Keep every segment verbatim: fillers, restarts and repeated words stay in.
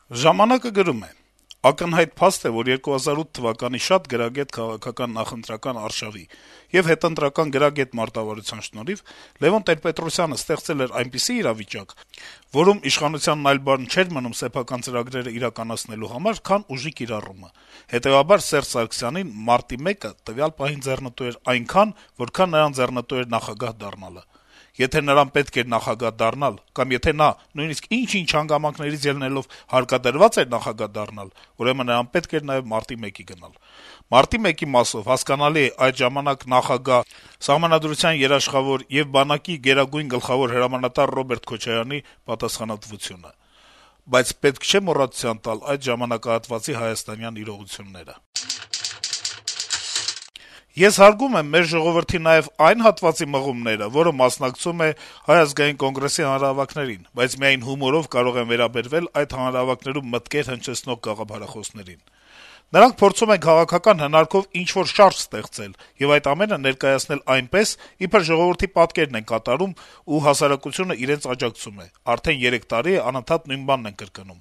«Ժամանակ»-ը գրում է. - «Ակնհայտ փաստ է, որ երկու հազար ութ թվականի շատ գրագետ քաղաքական նախընտրական արշավի եւ հետընտրական գրագետ մարտավարության շնորհիվ Լեւոն Տեր-Պետրոսյանը ստեղծել էր այնպիսի իրավիճակ, որում իշխանությանն այլ բան չէր մնում սեփական ծրագրերը իրականացնելու համար, քան ուժի կիրառումը: Հետեւաբար Սերժ Սարգսյանին մարտի մեկը տվյալ պահին ձեռնտու էր այնքան, որքան նրան ձեռնտու էր նախագահ դառնալը: Եթե նրան պետք էր նախագահ դառնալ, կամ եթե նա, նույնիսկ ինչ-ինչ հանգամանքներից ելնելով, հարկադրված էր նախագահ դառնալ, ուրեմն նրան պետք էր նաեւ մարտի մեկի գնալ: Մարտի մեկի մասով հասկանալի է այդ ժամանակ նախագահ, Սահմանադրության երաշխավոր եւ բանակի գերագույն գլխավոր հրամանատար Ռոբերտ Քոչարյանի պատասխանատվությունը: Բայց պետք չէ մոռացության տալ այդ ժամանակահատվածի հայաստանյան իրողությունները: Ես հարգում եմ մեր ժողովրդի նաեւ այն հատվածի մղումները, որը մասնակցում է Հայ ազգային կոնգրեսի հանրահավաքներին, բայց միայն հումորով կարող եմ վերաբերվել այդ հանրահավաքներում մտքեր հնչեցնող գաղափարախոսներին: Նրանք փորձում են քաղաքական հնարքով ինչ-որ շարժ ստեղծել եւ այդ ամենը ներկայացնել այնպես, իբր ժողովրդի պատկերն են կատարում, ու հասարակությունը իրենց աջակցում է: Արդեն երեք տարի է անընդհատ նույն բանն են կրկնում: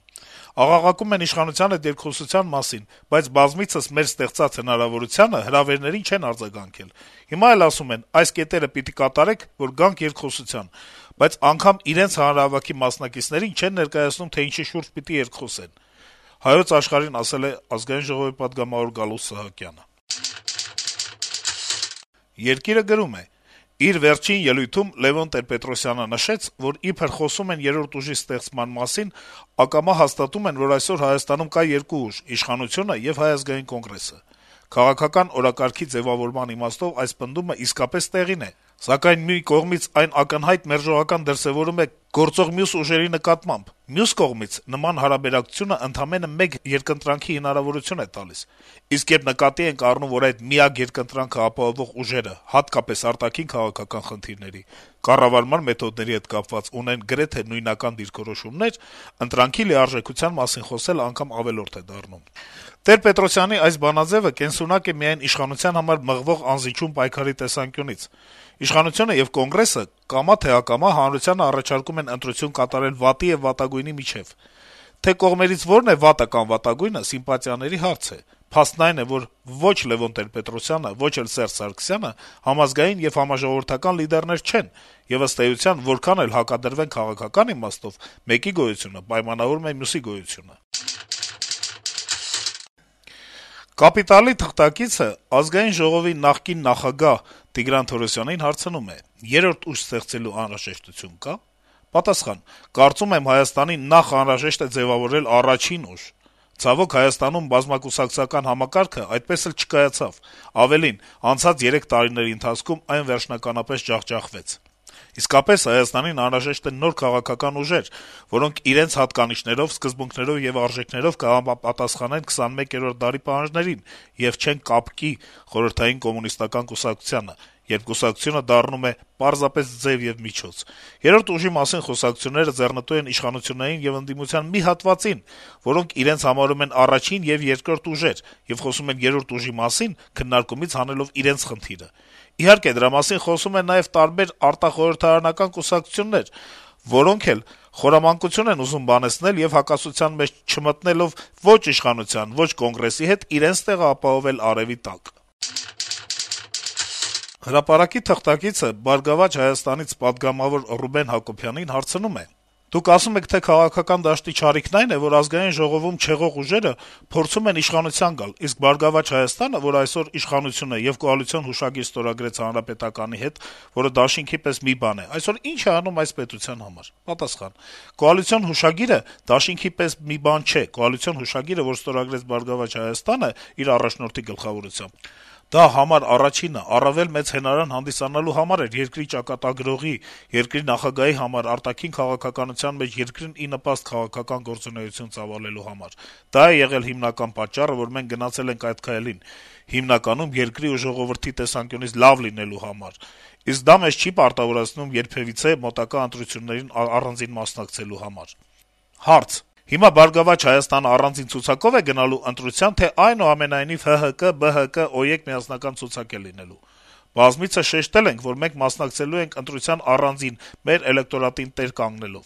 Աղաղակում են իշխանության հետ երկխոսության մասին, բայց բազմիցս մեր ստեղծած հնարավորությանը հրավերներին չեն արձագանքել: Հիմա էլ ասում են` այս կետերը պիտի կատարեք, որ գանք երկխոսության, բայց անգամ իրենց հանրահավաքի մասնակիցներին չեն ներկայացնում, թե ինչի շուրջ պիտի երկխոսեն»: «Հայոց Աշխարհ»-ին ասել է Ազգային ժողովի պատգամավոր Գալուստ Սահակյանը: «Երկիր»-ը գրում է. - «Իր վերջին ելույթում Լեւոն Տեր-Պետրոսյանը նշեց, որ իբր խոսում են երրորդ ուժի ստեղծման մասին, ակամա հաստատում են, որ այսօր Հայաստանում կա երկու ուժ` իշխանությունը եւ Հայ ազգային կոնգրեսը: Քաղաքական օրակարգի ձեւավորման իմաստով այս պնդումը իսկապես տեղին է, սակայն մի կողմից այն ակնհայտ մերժողական դրսեւորում է գործող մյուս ուժերի նկատմամբ, մյուս կողմից նման հարաբերակցությունը ընդամենը մեկ երկընտրանքի հնարավորություն է տալիս: Իսկ երբ նկատի ենք առնում, որ այդ միակ երկընտրանքը ապահովող ուժերը, հատկապես արտաքին քաղաքական խնդիրների, կառավարման մեթոդների հետ կապված, ունեն գրեթե նույնական դիրքորոշումներ, ընտրանքի լիարժեքության մասին խոսելը անգամ ավելորդ է դառնում: Տեր-Պետրոսյանի այս բանաձեւը կենսունակ է միայն իշխանության համար մղվող անզիջում պայքարի տեսանկյունից: Իշխանությունը եւ Կոնգրեսը կամա թե ակամա հանրությանը առաջարկում են ընտրություն կատարել վատի եւ վատագույնի միջեւ: Թե կողմերից որն է վատը կամ վատագույնը, սիմպատիաների հարց է: Փաստն այն է, որ ո՛չ Լեւոն Տեր-Պետրոսյանը, ո՛չ էլ Սերժ Սարգսյանը համազգային եւ համաժողովրդական լիդերներ չեն, եւ ըստ էության, որքան էլ հակադրվեն քաղաքական իմաստով, մեկի գոյությունը պայմանավորում է մյուսի գոյությունը»: «Կապիտալ»-ի թղթակիցը Ազգային ժողովի նախկին նախագահ Տիգրան Թորոսյանին հարցնում է. - «Երրորդ ուժ ստեղծելու անհրաժեշտություն կա՞: Պատասխան. - «Կարծում եմ, Հայաստանին նախ անհրաժեշտ է ձեւավորել առաջին ուժ: Ցավոք, Հայաստանում բազմակուսակցական համակարգը այդպես էլ չկայացավ: Ավելին, անցած երեք տարիների ընթացքում այն վերջնականապես ջախջախվեց: Իսկապես, Հայաստանին անհրաժեշտ են նոր քաղաքական ուժեր, որոնք իրենց հատկանիշներով, սկզբունքներով եւ արժեքներով կհամապատասխանեն քսանմեկերորդ դարի պահանջներին եւ չեն կապկի խորհրդային կոմունիստական կուսակցությանը, երբ կուսակցությունը դառնում է պարզապես ձեւ եւ միջոց: Երրորդ ուժի մասին խոսակցությունները ձեռնտու են իշխանություններին եւ ընդդիմության մի հատվածին, որոնք իրենց համարում են առաջին եւ երկրորդ ուժեր եւ խոսում են երրորդ ուժի մասին` քննարկումից հանելով իրենց խնդիրը: Իհարկե, դրա մասին խոսում են նաեւ տարբեր արտախորհրդարանական կուսակցություններ, որոնք էլ խորամանկություն են ուզում բանեցնել եւ հակասության մեջ չմտնելով ո՛չ իշխանության, ո՛չ Կոնգրեսի հետ, իրենց տեղը ապահովել արեւի տակ»: «Հրապարակ»-ի թղթակիցը «Բարգավաճ Հայաստան»-ից պատգամավոր Ռուբեն Հակոբյանին հարցնում է. - «Դուք ասում եք, թե քաղաքական դաշտի չարիքն այն է, որ Ազգային ժողովում չեղող ուժերը փորձում են իշխանության գալ, իսկ «Բարգավաճ Հայաստան»-ը, որ այսօր իշխանություն է եւ կոալիցիոն հուշագիր ստորագրեց Հանրապետականի հետ, որը դաշինքի պես մի բան է, այսօր ի՞նչ է անում այս պետության համար»: Պատասխան. - «Կոալիցիոն հուշագիրը դաշինքի պես մի բան չէ: Կոալիցիոն հուշագիրը, որ ստորագրեց «Բարգավաճ Հայաստան»-ը իր առաջնորդի գլխավորությամբ, դա համար առաջինը, առավել մեծ հենարան հանդիսանալու համար էր երկրի ճակատագրողի, երկրի նախագահի համար, արտաքին քաղաքականության մեջ երկրին ի նպաստ քաղաքական գործունեություն ծավալելու համար: Դա է եղել հիմնական պատճառը, որ մենք գնացել ենք այդ քայլին, հիմնականում երկրի ու ժողովրդի տեսանկյունից լավ լինելու համար: Իսկ դա մեզ չի պարտավորեցնում երբեւիցե մոտակա ընտրություններին առանձին մասնակցելու համար»: Հարց. - «Հիմա «Բարգավաճ Հայաստան»-ը առանձին ցուցակո՞վ է գնալու ընտրության, թե այնուամենայնիվ Հ Հ Կը, Բը Հը Կը, ՕԵԿ միասնական ցուցակ է լինելու»: Բազմիցս շեշտել ենք, որ մենք մասնակցելու ենք ընտրության առանձին, մեր էլեկտորատին տեր կանգնելով: